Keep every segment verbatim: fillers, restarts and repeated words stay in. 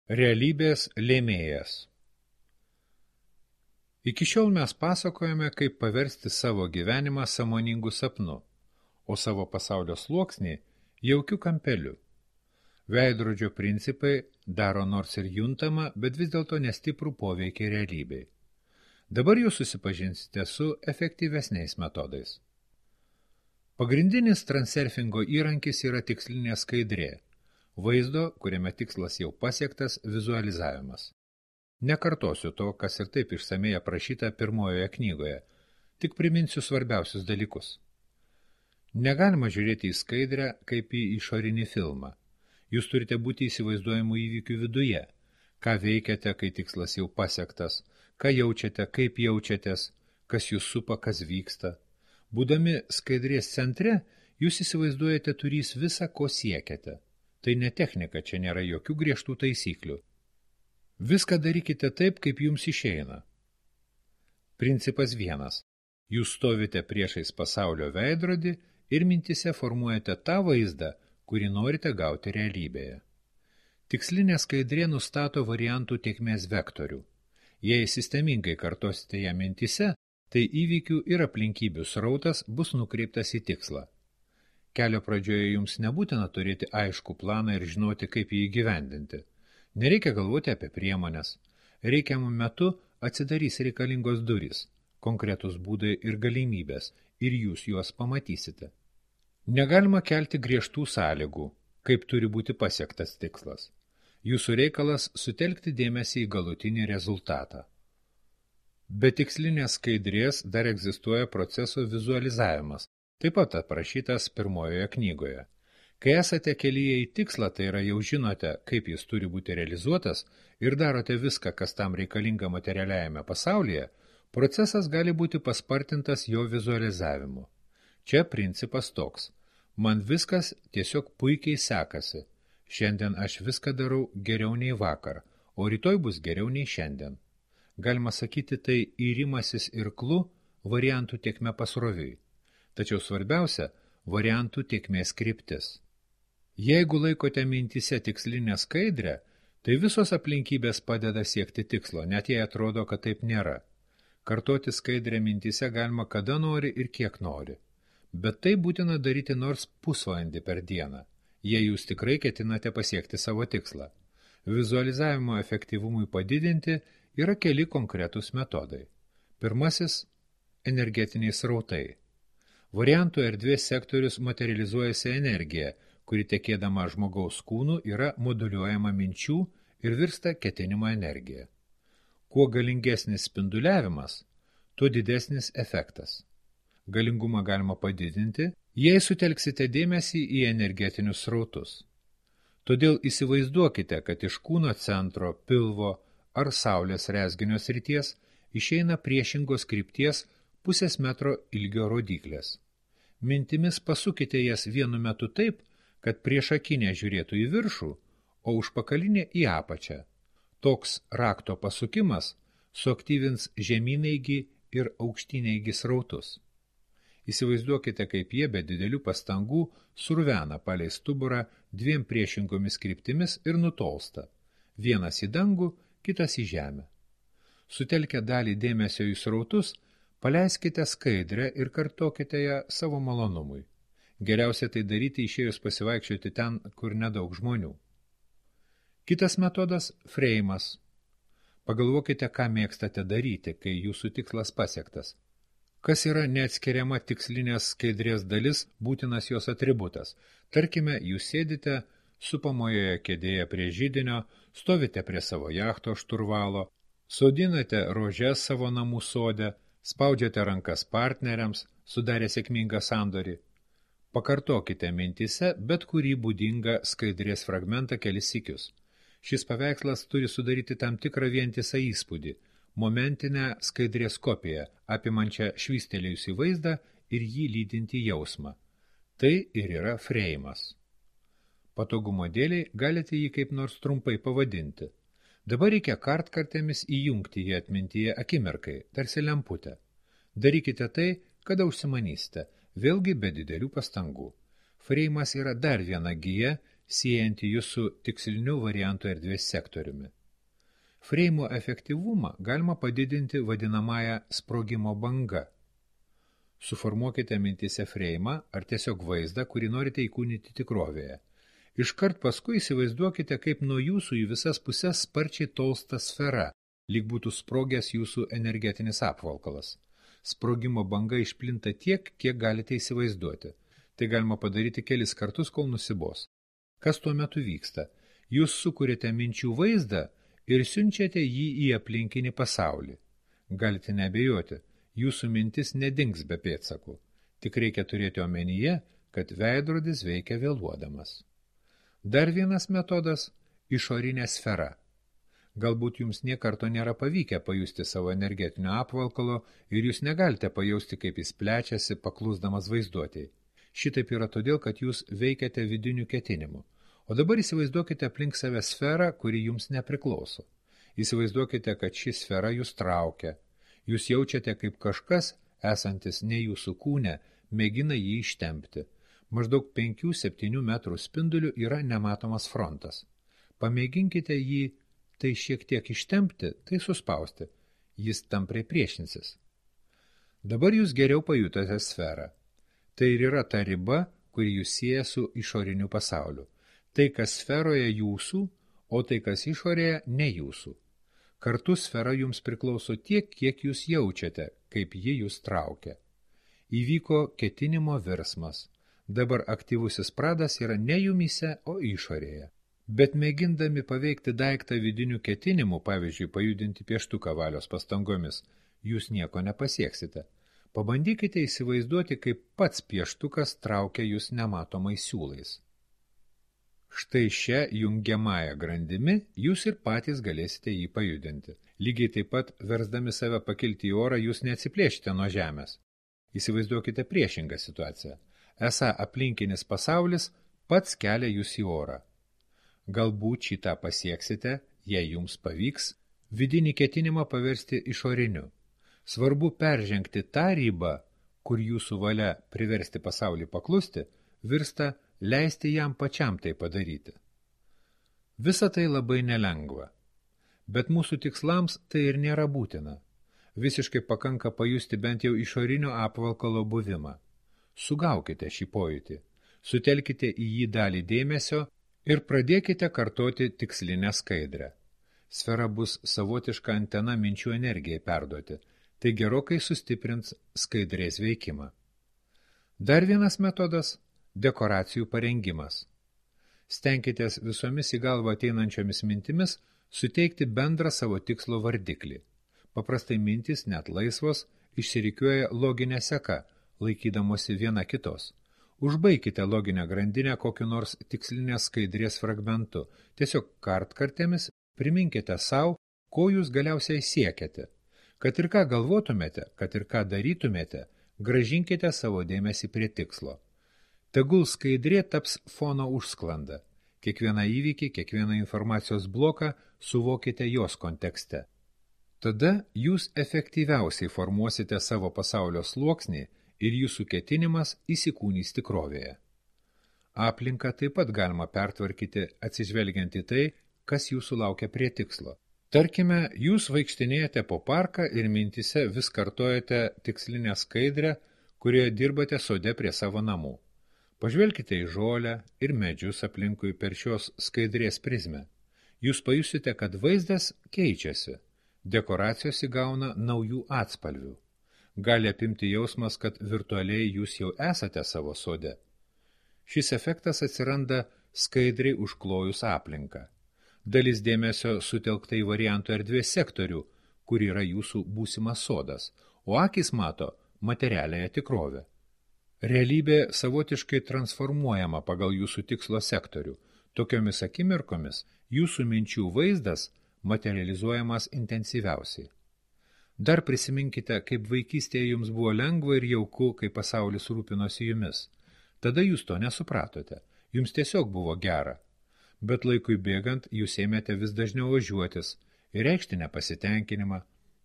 Realybės lėmėjas. Iki šiol mes pasakojame, kaip paversti savo gyvenimą sąmoningu sapnu, o savo pasaulio sluoksnį jaukiu kampeliu. Veidrodžio principai daro nors ir juntamą, bet vis dėlto nestiprų poveikį realybei. Dabar jūs susipažinsite su efektyvesniais metodais. Pagrindinis transurfingo įrankis yra tikslinė skaidrė, vaizdo, kuriame tikslas jau pasiektas, vizualizavimas. Nekartosiu to, kas ir taip išsamei aprašyta pirmojoje knygoje, tik priminsiu svarbiausius dalykus. Negalima žiūrėti į skaidrę kaip į išorinį filmą. Jūs turite būti įsivaizduojamų įvykių viduje, ką veikiate, kai tikslas jau pasiektas, ką jaučiate, kaip jaučiatės, kas jūs supa, kas vyksta. Būdami skaidrės centre, jūs įsivaizduojate turys visą, ko siekiate. Tai ne technika, čia nėra jokių griežtų taisyklių. Viską darykite taip, kaip jums išeina. Principas vienas. Jūs stovite priešais pasaulio veidrodį ir mintise formuojate tą vaizdą, kurį norite gauti realybėje. Tikslinė skaidrė nustato variantų tėkmės vektorių. Jei sistemingai kartosite ją mintise, tai įvykių ir aplinkybių srautas bus nukreiptas į tikslą. Kelio pradžioje jums nebūtina turėti aiškų planą ir žinoti, kaip jį įgyvendinti. Nereikia galvoti apie priemonės. Reikiamų metu atsidarys reikalingos durys, konkretus būdai ir galimybės, ir jūs juos pamatysite. Negalima kelti griežtų sąlygų, kaip turi būti pasiektas tikslas. Jūsų reikalas sutelkti dėmesį į galutinį rezultatą. Be tikslinės skaidrės dar egzistuoja proceso vizualizavimas, taip pat aprašytas pirmojoje knygoje. Kai esate kelyje į tikslą, tai yra jau žinote, kaip jis turi būti realizuotas ir darote viską, kas tam reikalinga materialiajame pasaulyje, procesas gali būti paspartintas jo vizualizavimu. Čia principas toks. Man viskas tiesiog puikiai sekasi. Šiandien aš viską darau geriau nei vakar, o rytoj bus geriau nei šiandien. Galima sakyti, tai įrimasis irklu variantų tėkme pasroviui. Tačiau svarbiausia – variantų tėkmės kryptis. Jeigu laikote mintise tikslinę skaidrę, tai visos aplinkybės padeda siekti tikslo, net jei atrodo, kad taip nėra. Kartoti skaidrę mintise galima kada nori ir kiek nori. Bet tai būtina daryti nors pusvalandį per dieną, jei jūs tikrai ketinate pasiekti savo tikslą. Vizualizavimo efektyvumui padidinti yra keli konkretūs metodai. Pirmasis – energetiniai srautai. Variantų erdvės sektorius materializuojasi energija, kuri tekėdama žmogaus kūnų yra moduliuojama minčių ir virsta ketinimo energija. Kuo galingesnis spinduliavimas, tuo didesnis efektas. Galingumą galima padidinti, jei sutelksite dėmesį į energetinius srautus. Todėl įsivaizduokite, kad iš kūno centro, pilvo ar saulės rezginio srities išeina priešingos krypties pusės metro ilgio rodyklės. Mintimis pasukite jas vienu metu taip, kad priešakinė žiūrėtų į viršų, o užpakalinė į apačią. Toks rakto pasukimas suaktyvins žemynaigi ir aukštynaigi srautus. Įsivaizduokite, kaip jie be didelių pastangų survena palei stuburą dviem priešingomis kryptimis ir nutolsta. Vienas į dangų, kitas į žemę. Sutelkę dalį dėmesio į srautus, paleiskite skaidrę ir kartokite ją savo malonumui. Geriausia tai daryti išėjus pasivaikščioti ten, kur nedaug žmonių. Kitas metodas – freimas. Pagalvokite, ką mėgstate daryti, kai jūsų tikslas pasiektas. Kas yra neatskiriama tikslinės skaidrės dalis, būtinas jos atributas. Tarkime, jūs sėdite supamojoje kėdėje prie židinio, stovite prie savo jachto šturvalo, sodinate rožes savo namų sode, spaudžiate rankas partneriams, sudarė sėkmingą sandorį. Pakartokite mintise bet kurį būdingą skaidrės fragmentą kelis sykius. Šis paveikslas turi sudaryti tam tikrą vientisą įspūdį, momentinę skaidrės kopiją, apimančią švystelėjusį vaizdą ir jį lydinti jausmą. Tai ir yra freimas. Patogumo dėliai galite jį kaip nors trumpai pavadinti. Dabar reikia kartkartėmis įjungti jį atmintyje akimirkai, tarsi lemputę. Darykite tai, kada užsimanysite, vėlgi be didelių pastangų. Freimas yra dar viena gija, siejanti jūs su tiksliniu variantų erdvės sektoriumi. Freimo efektyvumą galima padidinti vadinamąją sprogimo banga. Suformuokite mintise freimą ar tiesiog vaizdą, kurį norite įkūnyti tikrovėje. Iškart paskui įsivaizduokite, kaip nuo jūsų į visas puses sparčiai tolsta sfera, lyg būtų sprogęs jūsų energetinis apvalkalas. Sprogimo banga išplinta tiek, kiek galite įsivaizduoti. Tai galima padaryti kelis kartus, kol nusibos. Kas tuo metu vyksta? Jūs sukuriate minčių vaizdą ir siunčiate jį į aplinkinį pasaulį. Galite neabejoti, jūsų mintis nedings be pėdsakų. Tik reikia turėti omenyje, kad veidrodis veikia vėluodamas. Dar vienas metodas – išorinė sfera. Galbūt jums niekarto nėra pavykę pajusti savo energetinio apvalkalo ir jūs negalite pajausti, kaip jis plečiasi, paklusdamas vaizduotėjai. Šitaip yra todėl, kad jūs veikiate vidiniu ketinimu. O dabar įsivaizduokite aplink save sferą, kuri jums nepriklauso. Įsivaizduokite, kad ši sfera jūs traukia. Jūs jaučiate, kaip kažkas, esantis ne jūsų kūne, mėgina jį ištempti. Maždaug penkių septynių metrų spinduliu yra nematomas frontas. Pamėginkite jį tai šiek tiek ištempti, tai suspausti. Jis tampriai priešinsis. Dabar jūs geriau pajutote sferą. Tai ir yra ta riba, kuri jūs sieja su išoriniu pasauliu. Tai, kas sferoje jūsų, o tai, kas išorėje ne jūsų. Kartu sfera jums priklauso tiek, kiek jūs jaučiate, kaip ji jūs traukia. Įvyko ketinimo virsmas. Dabar aktyvusis pradas yra ne jumyse, o išorėje. Bet mėgindami paveikti daiktą vidiniu ketinimu, pavyzdžiui, pajudinti pieštuką valios pastangomis, jūs nieko nepasieksite. Pabandykite įsivaizduoti, kaip pats pieštukas traukia jūs nematomais siūlais. Štai šią jungiamąją grandimi jūs ir patys galėsite jį pajudinti. Lygiai taip pat, versdami save pakilti į orą, jūs neatsiplėšite nuo žemės. Įsivaizduokite priešingą situaciją. Esą aplinkinis pasaulis pats kelia jūs į orą. Galbūt šitą pasieksite, jei jums pavyks, vidinį ketinimą paversti išoriniu. Svarbu peržengti tą ribą, kur jūsų valia priversti pasaulį paklusti, virsta leisti jam pačiam tai padaryti. Visa tai labai nelengva. Bet mūsų tikslams tai ir nėra būtina. Visiškai pakanka pajusti bent jau išorinio apvalkalo buvimą. Sugaukite šį pojūtį, sutelkite į jį dalį dėmesio ir pradėkite kartoti tikslinę skaidrę. Sfera bus savotiška antena minčių energijai perduoti, tai gerokai sustiprins skaidrės veikimą. Dar vienas metodas – dekoracijų parengimas. Stenkitės visomis į galvą ateinančiomis mintimis suteikti bendrą savo tikslo vardiklį. Paprastai mintys, net laisvos, išsirikiuoja loginę seką, laikydamosi viena kitos. Užbaikite loginę grandinę kokiu nors tikslinės skaidrės fragmentu. Tiesiog kartkartėmis priminkite sau, ko jūs galiausiai siekiate. Kad ir ką galvotumėte, kad ir ką darytumėte, grąžinkite savo dėmesį prie tikslo. Tegul skaidrė taps fono užsklanda. Kiekvieną įvykį, kiekvieną informacijos bloką suvokite jos kontekste. Tada jūs efektyviausiai formuosite savo pasaulio sluoksnį ir jūsų ketinimas įsikūnys tikrovėje. Aplinką taip pat galima pertvarkyti atsižvelgiant į tai, kas jūsų laukia prie tikslo. Tarkime, jūs vaikštinėjate po parką ir mintise vis kartojate tikslinę skaidrę, kurioje dirbate sode prie savo namų. Pažvelkite į žolę ir medžius aplinkui per šios skaidrės prizmę. Jūs pajusite, kad vaizdas keičiasi. Dekoracijos įgauna naujų atspalvių. Gali apimti jausmas, kad virtualiai jūs jau esate savo sode. Šis efektas atsiranda skaidriai užklojus aplinką. Dalis dėmesio sutelkta į variantų erdvės sektorių, kur yra jūsų būsimas sodas, o akys mato materialiąją tikrovę. Realybė savotiškai transformuojama pagal jūsų tikslo sektorių. Tokiomis akimirkomis jūsų minčių vaizdas materializuojamas intensyviausiai. Dar prisiminkite, kaip vaikystėje jums buvo lengva ir jauku, kai pasaulis rūpinosi jumis. Tada jūs to nesupratote. Jums tiesiog buvo gera. Bet laikui bėgant jūs ėmėte vis dažniau ožiuotis ir reikšti nepasitenkinimą.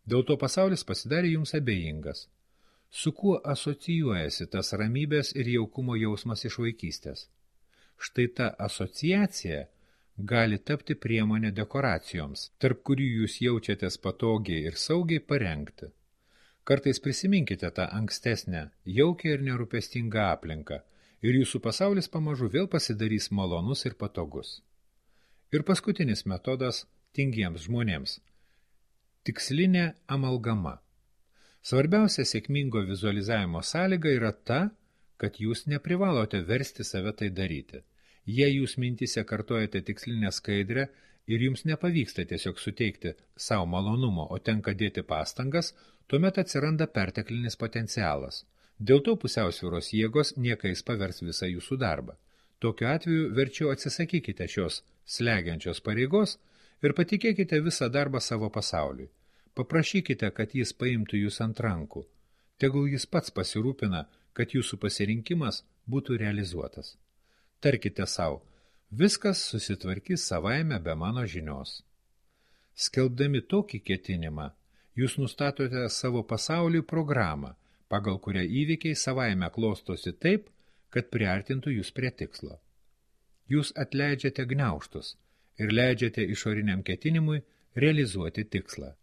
Dėl to pasaulis pasidarė jums abejingas. Su kuo asocijuojasi tas ramybės ir jaukumo jausmas iš vaikystės? Štai ta asociacija gali tapti priemonė dekoracijoms, tarp kurių jūs jaučiatės patogiai ir saugiai parengti. Kartais prisiminkite tą ankstesnę, jaukią ir nerūpestingą aplinką, ir jūsų pasaulis pamažu vėl pasidarys malonus ir patogus. Ir paskutinis metodas tingiems žmonėms – tikslinė amalgama. Svarbiausia sėkmingo vizualizavimo sąlyga yra ta, kad jūs neprivalote versti save tai daryti. Jei jūs mintise kartojate tikslinę skaidrę ir jums nepavyksta tiesiog suteikti savo malonumo, o tenka dėti pastangas, tuomet atsiranda perteklinis potencialas. Dėl to pusiausvyros jėgos niekais pavers visą jūsų darbą. Tokiu atveju verčiau atsisakykite šios slegiančios pareigos ir patikėkite visą darbą savo pasauliui. Paprašykite, kad jis paimtų jūs ant rankų. Tegul jis pats pasirūpina, kad jūsų pasirinkimas būtų realizuotas. Tarkite savo, viskas susitvarkys savaime be mano žinios. Skelbdami tokį ketinimą, jūs nustatote savo pasauliui programą, pagal kurią įvykiai savaime klostosi taip, kad priartintų jūs prie tikslo. Jūs atleidžiate gniaužtus ir leidžiate išoriniam ketinimui realizuoti tikslą.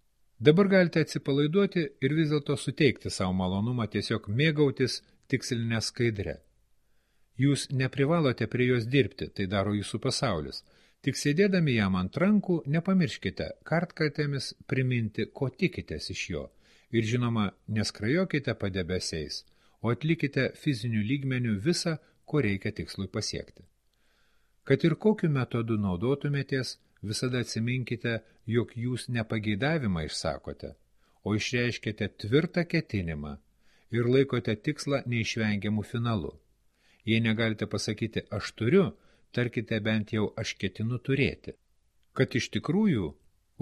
Dabar galite atsipalaiduoti ir vis dėlto suteikti savo malonumą tiesiog mėgautis tikslinę skaidrę. Jūs neprivalote prie jos dirbti, tai daro jūsų pasaulis. Tik sėdėdami jam ant rankų, nepamirškite kartkartėmis priminti, ko tikitės iš jo. Ir žinoma, neskrajokite padebesiais, o atlikite fizinių lygmenių visą, ko reikia tikslui pasiekti. Kad ir kokiu metodu naudotumėtės, visada atsiminkite, jog jūs nepageidavimą išsakote, o išreiškite tvirtą ketinimą ir laikote tikslą neišvengiamų finalu. Jei negalite pasakyti aš turiu, tarkite bent jau aš ketinu turėti. Kad iš tikrųjų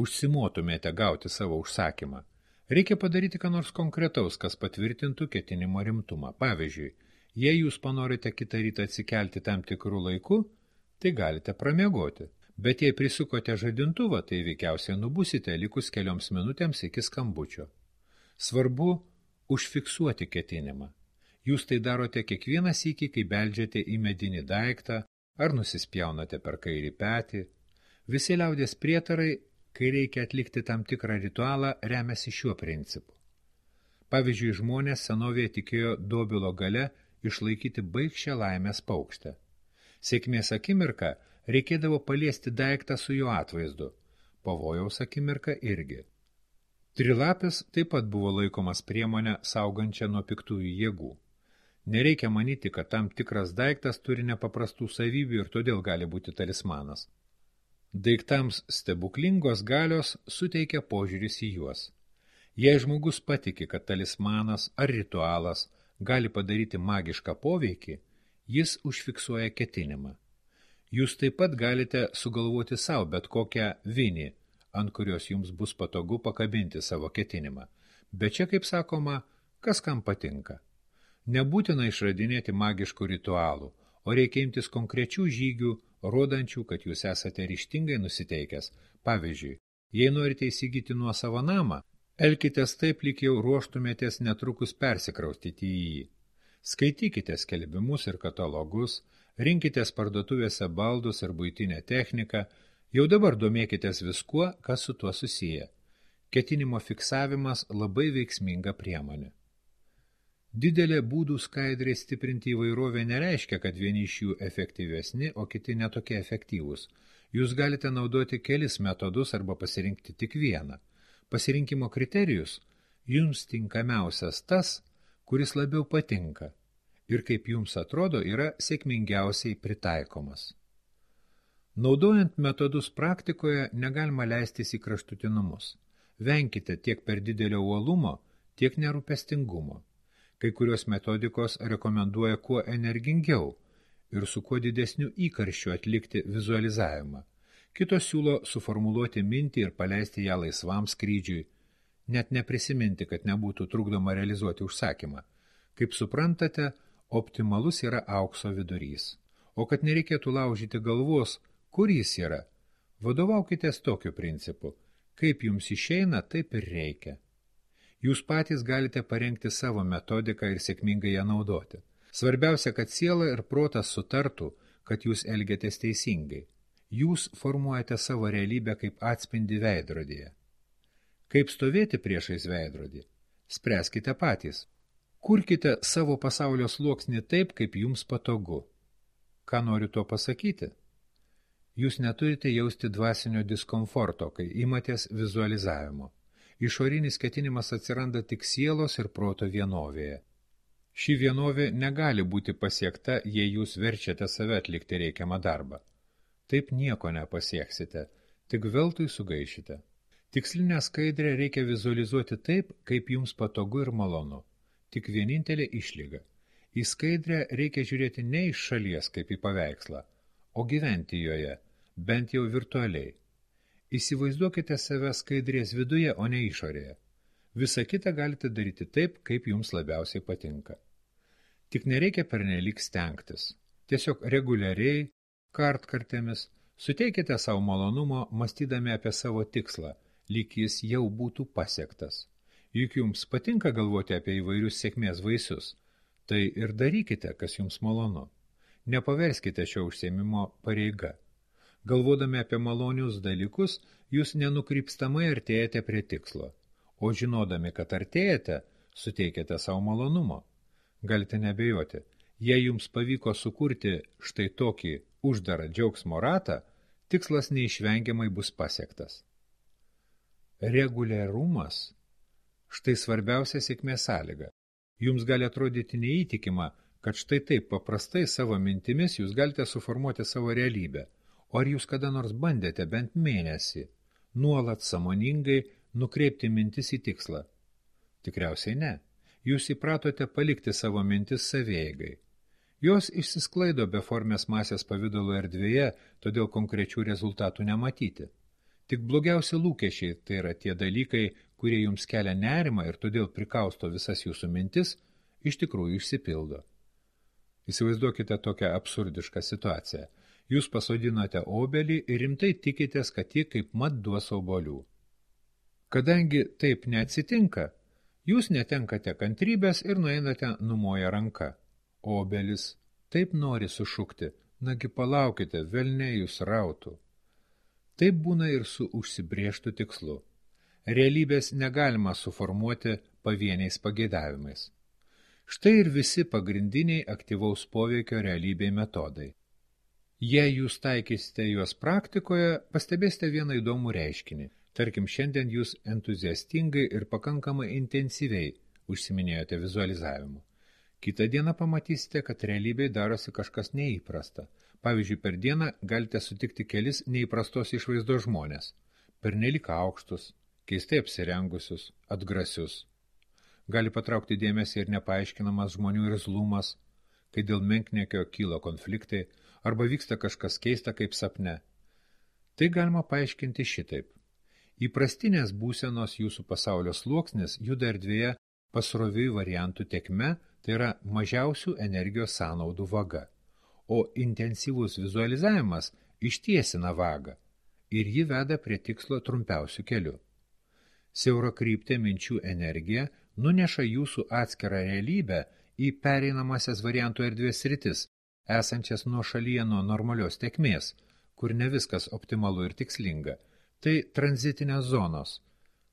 užsimotumėte gauti savo užsakymą, reikia padaryti ką nors konkretaus, kas patvirtintų ketinimo rimtumą. Pavyzdžiui, jei jūs panorite kitą rytą atsikelti tam tikrų laiku, tai galite pramiegoti. Bet jei prisukote žadintuvą, tai veikiausiai nubusite likus kelioms minutėms iki skambučio. Svarbu užfiksuoti ketinimą. Jūs tai darote kiekvieną sykį, kai beldžiate į medinį daiktą ar nusispjaunate per kairį petį. Visi liaudės prietarai, kai reikia atlikti tam tikrą ritualą, remiasi šiuo principu. Pavyzdžiui, žmonės senovėje tikėjo dobilo gale išlaikyti baigščią laimės paukštę. Sėkmės akimirką reikėdavo paliesti daiktą su jo atvaizdu, pavojaus akimirką irgi. Trilapis taip pat buvo laikomas priemonę saugančią nuo piktųjų jėgų. Nereikia manyti, kad tam tikras daiktas turi nepaprastų savybių ir todėl gali būti talismanas. Daiktams stebuklingos galios suteikia požiūris į juos. Jei žmogus patiki, kad talismanas ar ritualas gali padaryti magišką poveikį, jis užfiksuoja ketinimą. Jūs taip pat galite sugalvoti savo bet kokią vinį, ant kurios jums bus patogu pakabinti savo ketinimą. Bet čia, kaip sakoma, kas kam patinka. Nebūtina išradinėti magiškų ritualų, o reikia imtis konkrečių žygių, rodančių, kad jūs esate ryžtingai nusiteikęs. Pavyzdžiui, jei norite įsigyti nuosavą namą, elkitės taip, lyg jau ruoštumėtės netrukus persikraustyti į jį. Skaitykite skelbimus ir katalogus, rinkitės parduotuvėse baldus ir buitinę techniką, jau dabar domėkitės viskuo, kas su tuo susiję. Ketinimo fiksavimas labai veiksminga priemonė. Didelė būdų skaidriai stiprinti įvairovę nereiškia, kad vieni iš jų efektyvesni, o kiti netokie efektyvūs. Jūs galite naudoti kelis metodus arba pasirinkti tik vieną. Pasirinkimo kriterijus jums tinkamiausias tas, kuris labiau patinka ir kaip jums atrodo yra sėkmingiausiai pritaikomas. Naudojant metodus praktikoje negalima leistis į kraštutinumus. Venkite tiek per didelio uolumo, tiek nerūpestingumo. Kai kurios metodikos rekomenduoja kuo energingiau ir su kuo didesniu įkarščiu atlikti vizualizavimą. Kitos siūlo suformuluoti mintį ir paleisti ją laisvam skrydžiui, net neprisiminti, kad nebūtų trukdoma realizuoti užsakymą. Kaip suprantate, optimalus yra aukso vidurys. O kad nereikėtų laužyti galvos, kur jis yra, vadovaukitės tokiu principu. Kaip jums išeina, taip ir reikia. Jūs patys galite parengti savo metodiką ir sėkmingai ją naudoti. Svarbiausia, kad siela ir protas sutartų, kad jūs elgiatės teisingai. Jūs formuojate savo realybę kaip atspindį veidrodyje. Kaip stovėti priešais veidrodį? Spręskite patys. Kurkite savo pasaulio sluoksnį taip, kaip jums patogu. Ką noriu tuo pasakyti? Jūs neturite jausti dvasinio diskomforto, kai imatės vizualizavimo. Išorinis ketinimas atsiranda tik sielos ir proto vienovėje. Ši vienovė negali būti pasiekta, jei jūs verčiate save atlikti reikiamą darbą. Taip nieko nepasieksite, tik veltui sugaišite. Tikslinę skaidrę reikia vizualizuoti taip, kaip jums patogu ir malonu. Tik vienintelė išlyga. Į skaidrę reikia žiūrėti ne iš šalies kaip į paveikslą, o gyventi joje, bent jau virtualiai. Įsivaizduokite save skaidrės viduje, o ne išorėje. Visą kitą galite daryti taip, kaip jums labiausiai patinka. Tik nereikia pernelyg stengtis. Tiesiog reguliariai, kartkartėmis, suteikite savo malonumo, mąstydami apie savo tikslą, lyg jis jau būtų pasiektas. Juk jums patinka galvoti apie įvairius sėkmės vaisius, tai ir darykite, kas jums malonu. Nepaverskite šio užsiėmimo pareiga. Galvodami apie malonius dalykus, jūs nenukrypstamai artėjate prie tikslo, o žinodami, kad artėjate, suteikiate savo malonumo. Galite nebejoti, jei jums pavyko sukurti štai tokį uždarą džiaugsmo ratą, tikslas neišvengiamai bus pasiektas. Reguliarumas – štai svarbiausia sėkmės sąlyga. Jums gali atrodyti neįtikima, kad štai taip paprastai savo mintimis jūs galite suformuoti savo realybę. O ar jūs kada nors bandėte bent mėnesį, nuolat sąmoningai nukreipti mintis į tikslą? Tikriausiai ne. Jūs įpratote palikti savo mintis savieigai. Jos išsisklaido beformės masės pavidalo erdvėje, todėl konkrečių rezultatų nematyti. Tik blogiausi lūkesčiai, tai yra tie dalykai, kurie jums kelia nerimą ir todėl prikausto visas jūsų mintis, iš tikrųjų išsipildo. Įsivaizduokite tokią absurdišką situaciją. Jūs pasodinote obelį ir rimtai tikitės, kad ji kaip mat duos obuolių. Kadangi taip neatsitinka, jūs netenkate kantrybės ir nueinate numoję ranką. Obelis taip nori sušukti, nagi palaukite, velniai jūs rautų. Taip būna ir su užsibrėžtu tikslu. Realybės negalima suformuoti pavieniais pageidavimais. Štai ir visi pagrindiniai aktyvaus poveikio realybei metodai. Jei jūs taikysite juos praktikoje, pastebėsite vieną įdomų reiškinį. Tarkim, šiandien jūs entuziastingai ir pakankamai intensyviai užsiminėjote vizualizavimu. Kitą dieną pamatysite, kad realybėje darosi kažkas neįprasta. Pavyzdžiui, per dieną galite sutikti kelis neįprastos išvaizdos žmonės. Pernelyg aukštus, keistai apsirengusius, atgrasius. Gali patraukti dėmesį ir nepaaiškinamas žmonių irzlumas, kai dėl menkniekio kyla konfliktai, arba vyksta kažkas keista kaip sapne. Tai galima paaiškinti šitaip. Įprastinės būsenos jūsų pasaulio sluoksnis juda erdvėje pasroviui variantų tekme, tai yra mažiausių energijos sąnaudų vaga, o intensyvus vizualizavimas ištiesina vagą ir ji veda prie tikslo trumpiausių kelių. Siaurakryptė minčių energija nuneša jūsų atskirą realybę į pereinamasias variantų erdvės sritis, esančias nuo šalyje nuo normalios tekmės, kur ne viskas optimalu ir tikslinga. Tai tranzitinės zonos,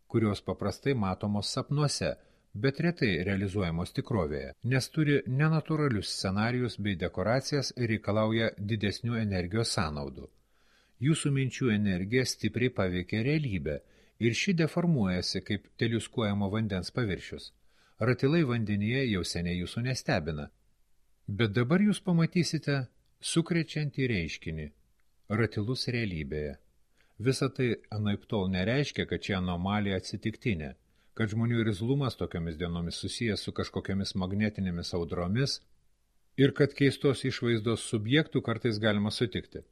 kurios paprastai matomos sapnuose, bet retai realizuojamos tikrovėje, nes turi nenatūralius scenarijus bei dekoracijas ir reikalauja didesnių energijos sąnaudų. Jūsų minčių energija stipriai paveikia realybę ir ši deformuojasi kaip teliuskuojamo vandens paviršius. Ratilai vandenyje jau seniai jūsų nestebina. Bet dabar jūs pamatysite sukrečiantį reiškinį – ratilus realybėje. Visa tai anaiptol nereiškia, kad čia anomalija atsitiktinė, kad žmonių irzlumas tokiomis dienomis susijęs su kažkokiamis magnetinėmis audromis ir kad keistos išvaizdos subjektų kartais galima sutikti.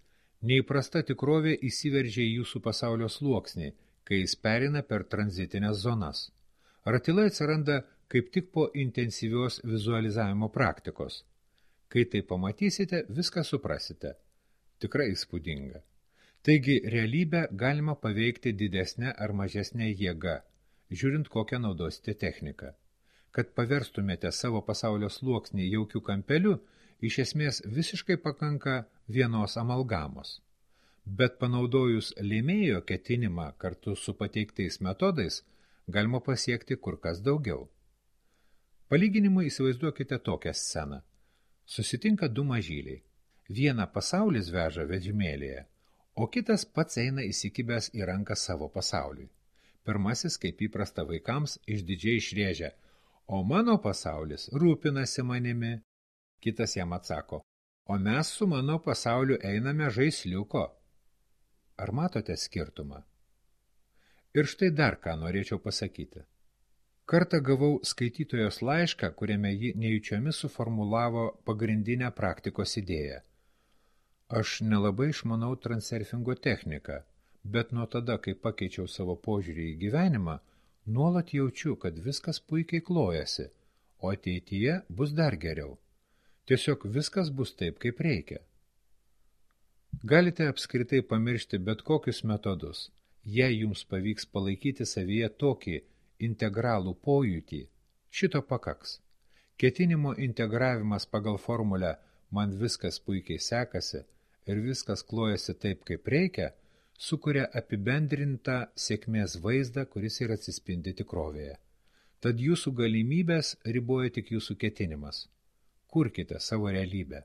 Neįprasta tikrovė įsiveržia į jūsų pasaulio sluoksnį, kai jis perina per tranzitinės zonas. Ratilai atsiranda kaip tik po intensyvios vizualizavimo praktikos. Kai tai pamatysite, viską suprasite. Tikrai įspūdinga. Taigi, realybę galima paveikti didesnę ar mažesnę jėgą, žiūrint kokią naudosite techniką. Kad paverstumėte savo pasaulio sluoksnį jaukių kampelių iš esmės visiškai pakanka vienos amalgamos. Bet panaudojus lėmėjo ketinimą kartu su pateiktais metodais, galima pasiekti kur kas daugiau. Palyginimui įsivaizduokite tokią sceną. Susitinka du mažyliai. Vieną pasaulis veža vežimėlėje, o kitas pats eina įsikibęs į ranką savo pasauliui. Pirmasis, kaip įprasta vaikams, išdidžiai išrėžia, o mano pasaulis rūpinasi manimi. Kitas jam atsako, o mes su mano pasauliu einame žaisliuko. Ar matote skirtumą? Ir štai dar ką norėčiau pasakyti. Kartą gavau skaitytojos laišką, kuriame ji nejučiomis suformulavo pagrindinę praktikos idėją. Aš nelabai išmanau transurfingo techniką, bet nuo tada, kai pakeičiau savo požiūrį į gyvenimą, nuolat jaučiu, kad viskas puikiai klojasi, o ateityje bus dar geriau. Tiesiog viskas bus taip, kaip reikia. Galite apskritai pamiršti bet kokius metodus, jei jums pavyks palaikyti savyje tokį integralų pojūtį, šito pakaks. Ketinimo integravimas pagal formulę man viskas puikiai sekasi ir viskas klojasi taip, kaip reikia, sukuria apibendrintą sėkmės vaizdą, kuris ir atsispindi tikrovėje. Tad jūsų galimybės riboja tik jūsų ketinimas. Kurkite savo realybę.